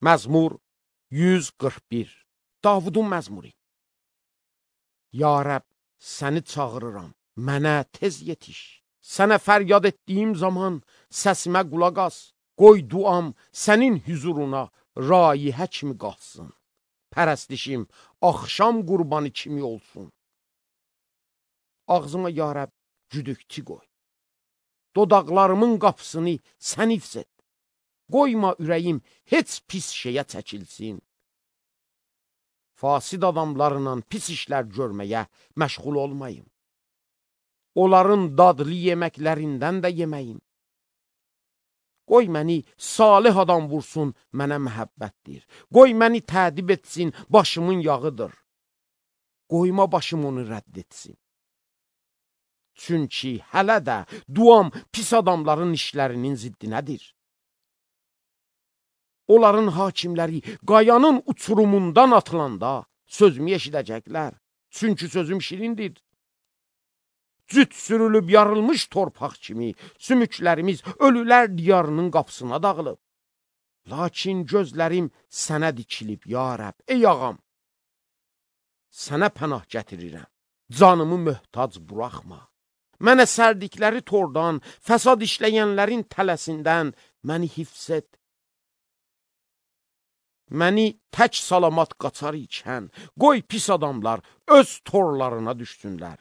Məzmur 141. Davudun məzmuru. Ya Rəbb, səni çağırıram, mənə tez yetiş. Sənə fəryad etdiyim zaman səsimə qulaq as. Qoy duam sənin hüzuruna raihə kimi qalsın. Pərəstişim axşam qurbanı kimi olsun. Ağzıma ya Rəbb güdükçü qoy. Dodaqlarımın qapısını sən hifz et. Qoyma ürəyim heç pis şeyə çəkilsin. Fasid adamlarla pis işlər görməyə məşğul olmayım. Onların dadlı yeməklərindən də yeməyim. Qoy məni salih adam vursun, mənə məhəbbətdir. Qoy məni tədib etsin, başımın yağıdır. Qoyma başım onu rədd etsin. Çünki hələ də duam pis adamların işlərinin ziddinədir. Onların hakimləri qayanın uçurumundan atılanda sözümü eşidəcəklər. Çünki sözüm şirindir. Cüt sürülüb yarılmış torpaq kimi sümüklərimiz ölülər diyarının qapısına dağılıb. Lakin gözlərim sənə dikilib, ya Rəbb, ey ağam. Sənə pənah gətirirəm, canımı möhtac buraxma. Mənə sərdikləri tordan, fəsad işləyənlərin tələsindən məni hifz et. Məni tək salamat qaçar ikən, qoy pis adamlar öz torlarına düşsünlər.